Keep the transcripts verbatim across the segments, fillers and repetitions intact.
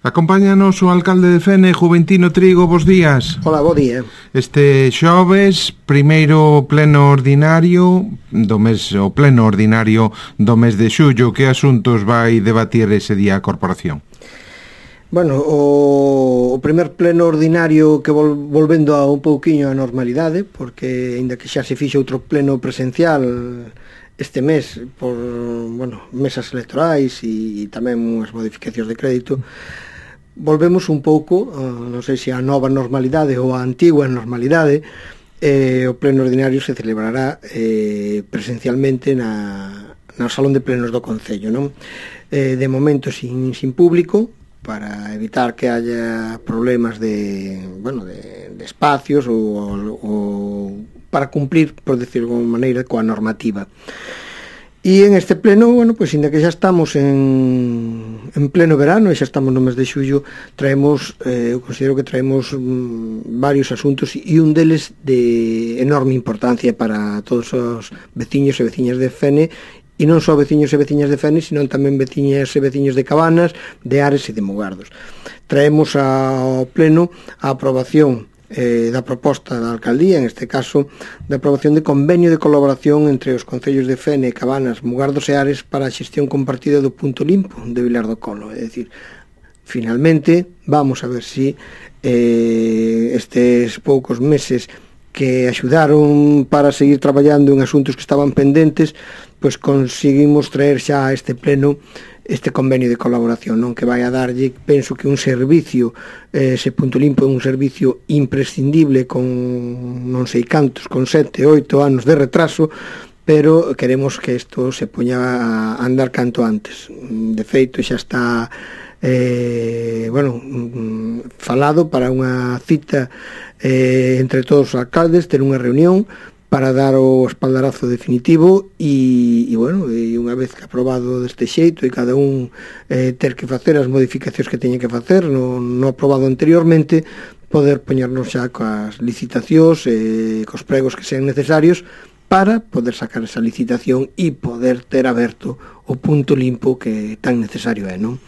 Acompáñanos o alcalde de Fene, Juventino Trigo, bos días. Hola, bo día. Este xoves, primeiro pleno ordinario do mes, o pleno ordinario do mes de xullo, que asuntos vai debatir ese día a corporación? Bueno, o, o primer pleno ordinario que vol, volvendo a un pouquiño a normalidade, porque aínda que xa se fixe outro pleno presencial este mes por, bueno, mesas electorais e, e tamén unhas modificacións de crédito, volvemos un pouco, non sei se a nova normalidade ou a antigua normalidade. Eh, o pleno ordinario se celebrará eh, presencialmente na, no Salón de Plenos do Concello, non? Eh, de momento sin, sin público, para evitar que haya problemas de, bueno, de, de espacios ou, ou para cumplir, por decirlo de alguma maneira, coa normativa. E en este pleno, bueno, pois ainda que xa estamos en, en pleno verano e xa estamos no mes de xullo, traemos, eh, eu considero que traemos mm, varios asuntos e un deles de enorme importancia para todos os veciños e veciñas de Fene, e non só veciños e veciñas de Fene, sino tamén veciñas e veciños de Cabanas, de Ares e de Mugardos. Traemos ao pleno a aprobación Eh, da proposta da alcaldía, en este caso da aprobación de convenio de colaboración entre os concellos de Fene, Cabanas, Mugardos e Ares para a xestión compartida do punto limpo de Vilar do Colo. É dicir, finalmente vamos a ver si eh, estes poucos meses que axudaron para seguir traballando en asuntos que estaban pendentes, pois conseguimos traer xa a este pleno este convenio de colaboración, non, que vai a darlle, penso que un servicio, eh, ese punto limpo é un servicio imprescindible con non sei cantos, con sete, oito anos de retraso, pero queremos que isto se poña a andar canto antes. De feito, xa está eh, bueno, falado para unha cita eh, entre todos os alcaldes, ter unha reunión para dar o espaldarazo definitivo e, e bueno, e unha vez que aprobado deste xeito e cada un eh, ter que facer as modificacións que teña que facer no, no aprobado anteriormente, poder poñernos xa coas licitacións e eh, cos pregos que sean necesarios para poder sacar esa licitación e poder ter aberto o punto limpo que tan necesario é, non?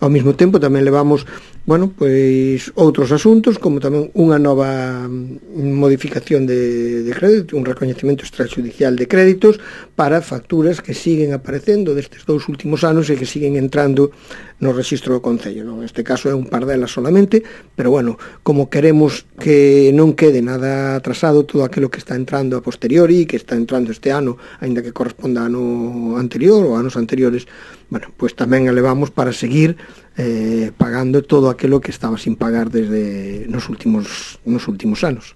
Ao mesmo tempo tamén levamos, bueno, pois outros asuntos, como tamén unha nova modificación de, de crédito, un recoñecemento extrajudicial de créditos para facturas que siguen aparecendo destes dous últimos anos e que siguen entrando no rexistro do Concello, non? Neste caso é un par delas solamente, pero bueno, como queremos que non quede nada atrasado todo aquilo que está entrando a posteriori, que está entrando este ano, aínda que corresponda a ano anterior ou anos anteriores, bueno, pois tamén elevamos para seguir eh, pagando todo aquilo que estaba sin pagar desde nos últimos nos últimos anos.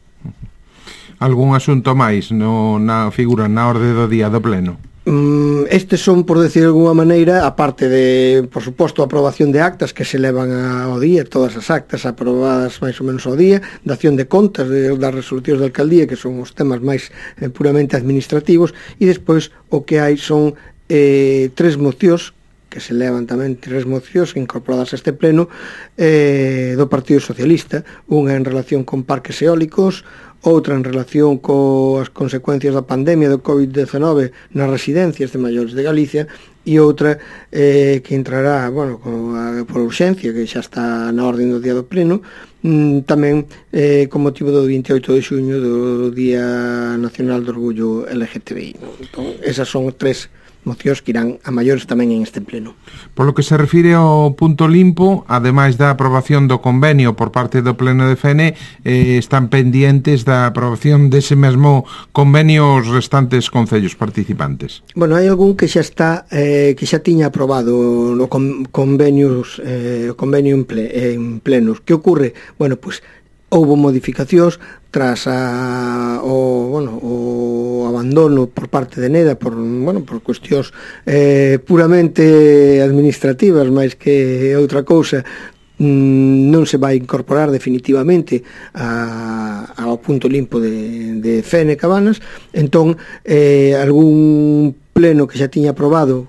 Algún asunto máis no, na figura na orde do día do pleno? Mm, estes son, por decir de alguma maneira, aparte de, por suposto, a aprobación de actas que se levan ao día, todas as actas aprobadas máis ou menos ao día, dación de contas de, das resolucións da alcaldía, que son os temas máis eh, puramente administrativos, e despois o que hai son eh, tres mocións que se levan tamén tres mocións incorporadas a este pleno eh, do Partido Socialista, unha en relación con parques eólicos, outra en relación coas consecuencias da pandemia do covid diecinueve nas residencias de maiores de Galicia e outra eh, que entrará, bueno, con a, por urxencia, que xa está na orden do día do pleno, mm, tamén eh, con motivo do vinte e oito de xuño do Día Nacional do Orgullo L G T B I. Entón, esas son tres mocións que irán a maiores tamén en este pleno. Por lo que se refire ao punto limpo, ademais da aprobación do convenio por parte do pleno de Fene, eh, están pendientes da aprobación dese mesmo convenio os restantes concellos participantes. Bueno, hai algún que xa está eh, que xa tiña aprobado no con, convenios eh, o convenio en, ple, en plenos. Que ocorre? Bueno, pois houbo modificacións tras a, o, bueno, o abandono por parte de Neda por, bueno, por cuestións eh, puramente administrativas máis que outra cousa, mm, non se vai incorporar definitivamente a, ao punto limpo de, de Fene, Cabanas. Entón eh, algún pleno que xa tiña aprobado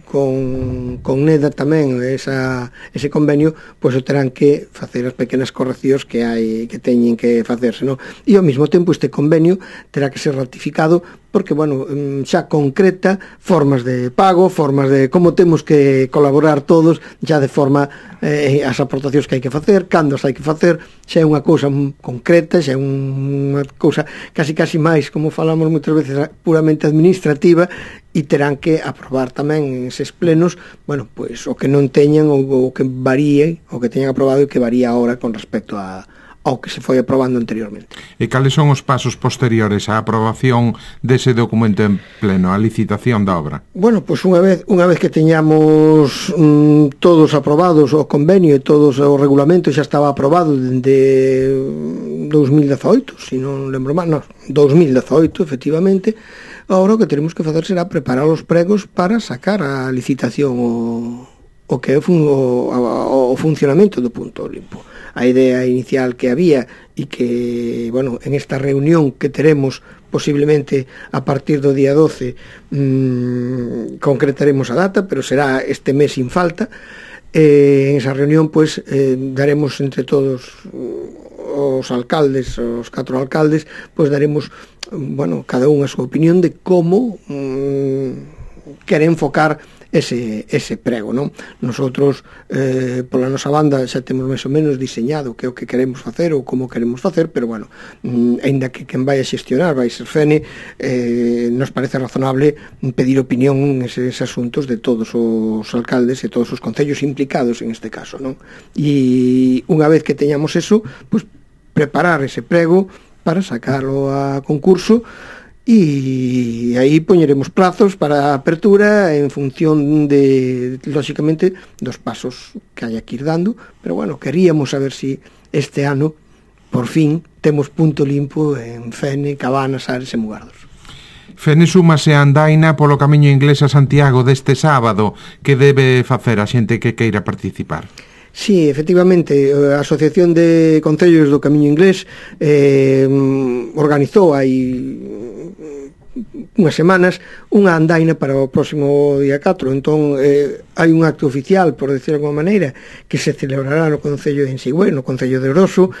con, con NEDA tamén esa, ese convenio, pois o terán que facer as pequenas correccións que hai que teñen que facerse, non? E ao mesmo tempo este convenio terá que ser ratificado porque, bueno, xa concreta formas de pago, formas de como temos que colaborar todos, xa de forma eh, as aportacións que hai que facer, cando as hai que facer, xa é unha cousa concreta, xa é unha cousa casi casi máis, como falamos moitas veces, puramente administrativa, e terán que aprobar tamén eses plenos, bueno, pois o que non teñan ou o que varíe, o que teñan aprobado e que varía agora con respecto a ao que se foi aprobando anteriormente. E cales son os pasos posteriores á aprobación dese documento en pleno, a licitación da obra? Bueno, pois unha vez unha vez que teñamos mm, todos aprobados o convenio e todos o regulamento xa estaba aprobado dende dos mil dezaoito, se non lembro mal, non, dos mil dezaoito, efectivamente. Agora o que teremos que facer será preparar os pregos para sacar a licitación o, o que é o, o, o funcionamento do punto limpo. A idea inicial que había e que, bueno, en esta reunión que teremos posiblemente a partir do día doce mmm, concretaremos a data, pero será este mes sin falta. Eh, en esa reunión, pues, eh, daremos entre todos os alcaldes, os catro alcaldes, pues daremos, bueno, cada un a súa opinión de como mmm, quere enfocar ese, ese prego, non? Nosotros, eh, pola nosa banda, xa temos máis ou menos diseñado que é o que queremos facer ou como queremos facer, pero, bueno, mm, ainda que quen vai a xestionar vai ser Fene, eh, nos parece razonable pedir opinión en eses asuntos de todos os alcaldes e todos os concellos implicados en este caso, non? E unha vez que teñamos eso, pues, preparar ese prego para sacarlo a concurso, e aí poñeremos plazos para a apertura en función de, lóxicamente, dos pasos que hai que ir dando, pero, bueno, queríamos saber si este ano, por fin, temos punto limpo en Fene, Cabanas, Ares e Mugardos. Fene súmase a andaina polo camiño inglés a Santiago deste sábado. Que debe facer a xente que queira participar? Sí, efectivamente, a Asociación de Concellos do Camiño Inglés eh, organizou hai unhas semanas unha andaina para o próximo día catro. Entón, eh, hai un acto oficial, por decir de alguma maneira, que se celebrará no Concello de Ensigüe, no Concello de Oroso,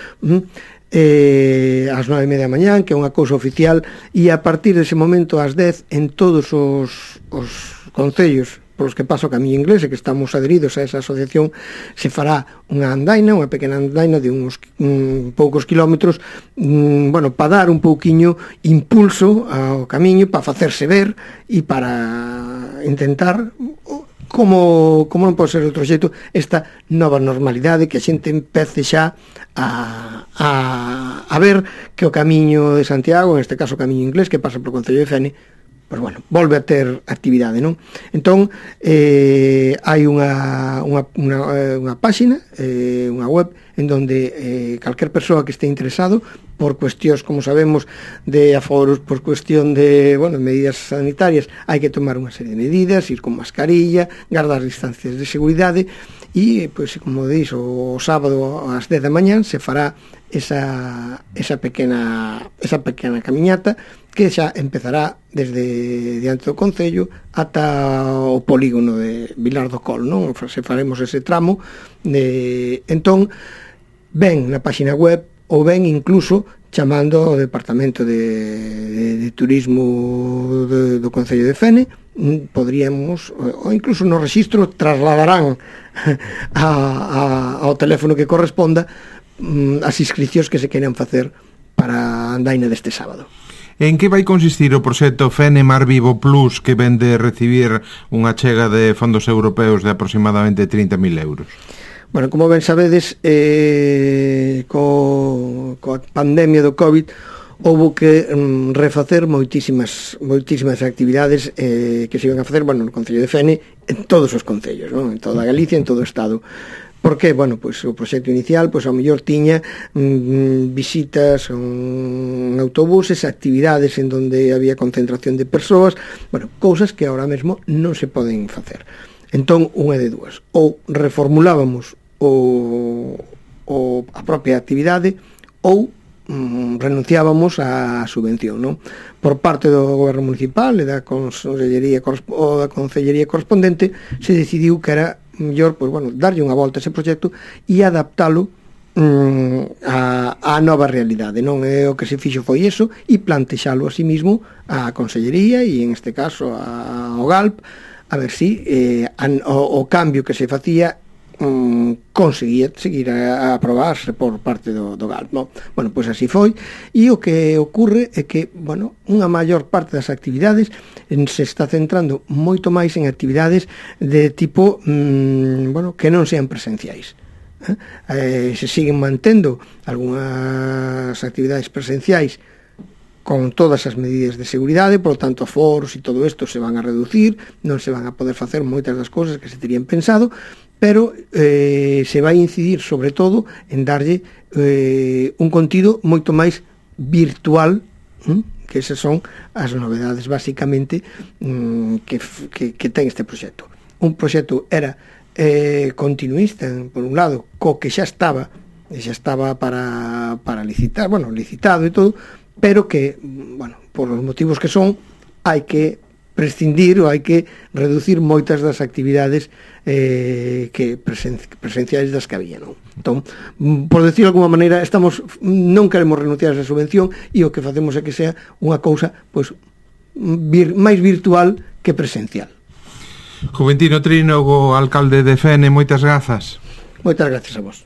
eh, ás nove e media da mañán, que é unha cousa oficial, e a partir dese momento ás dez en todos os, os concellos polos que pasa o Camiño Inglés e que estamos adheridos a esa asociación, se fará unha andaina, unha pequena andaina de uns um, poucos kilómetros, um, bueno, para dar un pouquiño impulso ao camiño, para facerse ver e para intentar, como, como non pode ser de outro xeito, esta nova normalidade, que a xente empece xa a, a, a ver que o Camiño de Santiago, en este caso o Camiño Inglés, que pasa polo Concello de Fene, pois, bueno, volve a ter actividade, non? Entón, eh, hai unha, unha, unha, unha páxina, eh, unha web, en donde eh, calquer persoa que este interesado, por cuestións, como sabemos, de aforos, por cuestión de, bueno, medidas sanitarias, hai que tomar unha serie de medidas, ir con mascarilla, guardar distancias de seguridade, e, pois, como dís, o sábado ás dez da mañán se fará esa, esa pequena esa pequena camiñata que xa empezará desde diante do Concello ata o polígono de Vilar do Col, non? Se faremos ese tramo de... Entón, ven na páxina web ou ven incluso chamando ao Departamento de, de, de Turismo de, do Concello de Fene, podríamos, ou incluso no rexistro trasladarán a, a, ao teléfono que corresponda as inscripcións que se queiran facer para a andaina deste sábado. En que vai consistir o proxecto Fene Mar Vivo Plus, que ven de recibir unha chega de fondos europeos de aproximadamente trinta mil euros? Bueno, como ben sabedes, eh, co, coa pandemia do COVID houve que mm, refacer moitísimas moitísimas actividades eh, que se iban a facer, bueno, no Concello de Fene, en todos os concellos, non? En toda Galicia, en todo o Estado. Porque, bueno, pois o proxecto inicial, pois ao mellor tiña mm, visitas en autobuses, actividades en donde había concentración de persoas, bueno, cousas que ahora mesmo non se poden facer. Entón, unha de dúas, ou reformulábamos o, o a propia actividade, ou mm, renunciábamos á subvención, non? Por parte do goberno municipal e da consellería ou da concellería correspondente se decidiu que era mellor, pois, bueno, darlle unha volta a ese proxecto e adaptalo mm, a, a nova realidade, non? É o que se fixo foi iso e plantexalo a sí mismo a consellería e en este caso a, ao G A L P a ver si eh, a, o, o cambio que se facía mm, conseguía seguir a, a aprobarse por parte do, do G A L P, no? Bueno, pois así foi, e o que ocurre é que, bueno, unha maior parte das actividades en, se está centrando moito máis en actividades de tipo, mm, bueno, que non sean presenciais. Eh? Eh, se siguen mantendo algunhas actividades presenciais con todas as medidas de seguridade, por lo tanto, aforos e todo isto se van a reducir, non se van a poder facer moitas das cousas que se terían pensado, pero eh, se vai incidir sobre todo en darlle eh, un contido moito máis virtual, hm? Que esas son as novedades basicamente hm, que, que, que ten este proxecto. Un proxecto era eh, continuista, por un lado, co que xa estaba xa estaba para, para licitar, bueno, licitado e todo, pero que, bueno, por os motivos que son, hai que prescindir ou hai que reducir moitas das actividades eh, que presen presenciais das que había, non? Entón, por decirlo de alguma maneira, estamos non queremos renunciar a esa subvención e o que facemos é que sea unha cousa pois vir, máis virtual que presencial. Juventino Trínogo, alcalde de Fene, moitas grazas. Moitas gracias a vos.